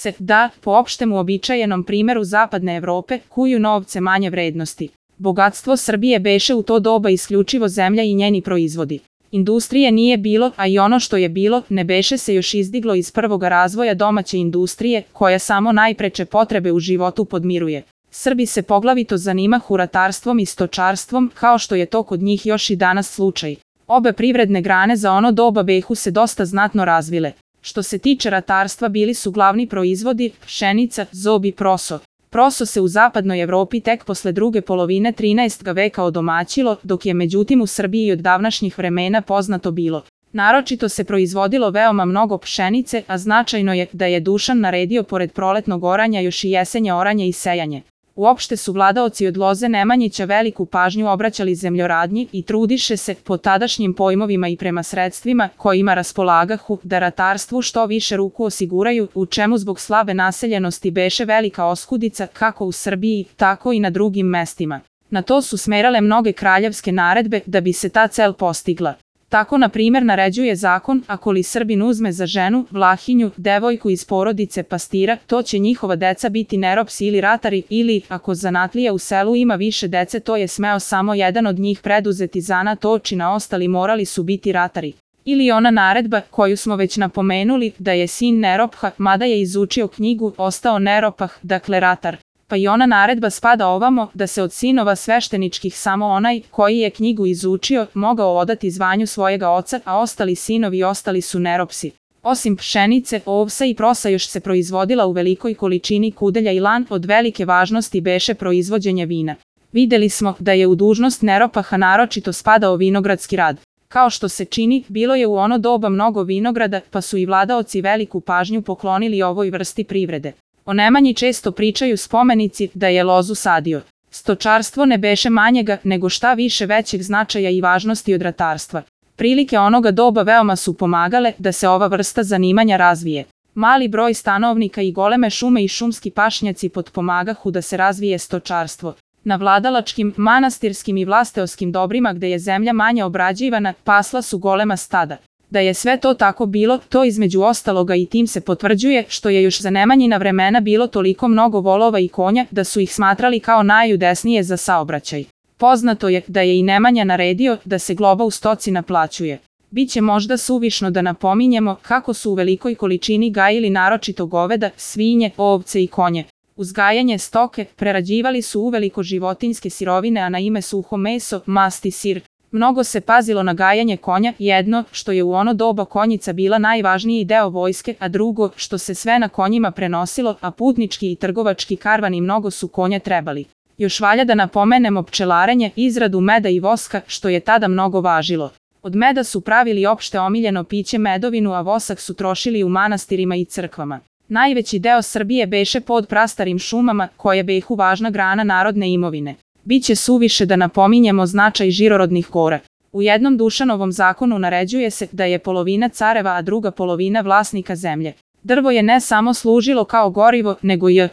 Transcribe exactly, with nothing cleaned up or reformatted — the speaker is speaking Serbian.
se, da, po opštem uobičajenom primeru zapadne Evrope, kuju novce manje vrednosti. Bogatstvo Srbije beše u to doba isključivo zemlja i njeni proizvodi. Industrije nije bilo, a i ono što je bilo, ne beše se još izdiglo iz prvoga razvoja domaće industrije, koja samo najpreče potrebe u životu podmiruje. Srbi se poglavito zanimahu ratarstvom i stočarstvom, kao što je to kod njih još i danas slučaj. Obe privredne grane za ono doba behu se dosta znatno razvile. Što se tiče ratarstva, bili su glavni proizvodi pšenica, zob i proso. Proso se u zapadnoj Evropi tek posle druge polovine trinaestog veka odomaćilo, dok je međutim u Srbiji od davnašnjih vremena poznato bilo. Naročito se proizvodilo veoma mnogo pšenice, a značajno je da je Dušan naredio pored proletnog oranja još i jesenje oranje i sejanje. Uopšte su vladaoci od Loze Nemanjića veliku pažnju obraćali zemljoradnji i trudiše se, po tadašnjim pojmovima i prema sredstvima kojima raspolagahu, da ratarstvu što više ruku osiguraju, u čemu zbog slabe naseljenosti beše velika oskudica kako u Srbiji, tako i na drugim mestima. Na to su smerale mnoge kraljevske naredbe da bi se ta cel postigla. Tako, na primjer, naređuje zakon, ako li Srbin uzme za ženu, Vlahinju, devojku iz porodice pastira, to će njihova deca biti neropsi ili ratari, ili, ako zanatlija u selu ima više dece, to je smeo samo jedan od njih preduzeti zanat očina, ostali morali su biti ratari. Ili ona naredba, koju smo već napomenuli, da je sin neropha, mada je izučio knjigu, ostao neropah, dakle ratar. Pa i ona naredba spada ovamo, da se od sinova svešteničkih samo onaj, koji je knjigu izučio, mogao odati zvanju svojega oca, a ostali sinovi ostali su neropsi. Osim pšenice, ovsa i prosa još se proizvodila u velikoj količini kudelja i lan, od velike važnosti beše proizvođenje vina. Videli smo da je u dužnost neropaha naročito spadao vinogradski rad. Kao što se čini, bilo je u ono doba mnogo vinograda, pa su i vladaoci veliku pažnju poklonili ovoj vrsti privrede. O Nemanji često pričaju spomenici da je lozu sadio. Stočarstvo ne beše manjega, nego šta više većeg značaja i važnosti od ratarstva. Prilike onoga doba veoma su pomagale da se ova vrsta zanimanja razvije. Mali broj stanovnika i goleme šume i šumski pašnjaci potpomagahu da se razvije stočarstvo. Na vladalačkim, manastirskim i vlasteoskim dobrima gde je zemlja manje obrađivana, pasla su golema stada. Da je sve to tako bilo, to između ostaloga i tim se potvrđuje što je još za Nemanjina vremena bilo toliko mnogo volova i konja da su ih smatrali kao najudesnije za saobraćaj. Poznato je da je i Nemanja naredio da se globa u stoci naplaćuje. Biće možda suvišno da napominjemo kako su u velikoj količini gajili naročito goveda, svinje, ovce i konje. Uzgajanje stoke prerađivali su uveliko životinjske sirovine, a na ime suho meso, mast i sir. Mnogo se pazilo na gajanje konja, jedno, što je u ono doba konjica bila najvažniji deo vojske, a drugo, što se sve na konjima prenosilo, a putnički i trgovački karvani mnogo su konja trebali. Još valja da napomenemo pčelarenje, izradu meda i voska, što je tada mnogo važilo. Od meda su pravili opšte omiljeno piće medovinu, a vosak su trošili u manastirima i crkvama. Najveći deo Srbije beše pod prastarim šumama, koje behu važna grana narodne imovine. Biće suviše da napominjemo značaj žirorodnih gora. U jednom Dušanovom zakonu naređuje se da je polovina careva, a druga polovina vlasnika zemlje. Drvo je ne samo služilo kao gorivo, nego i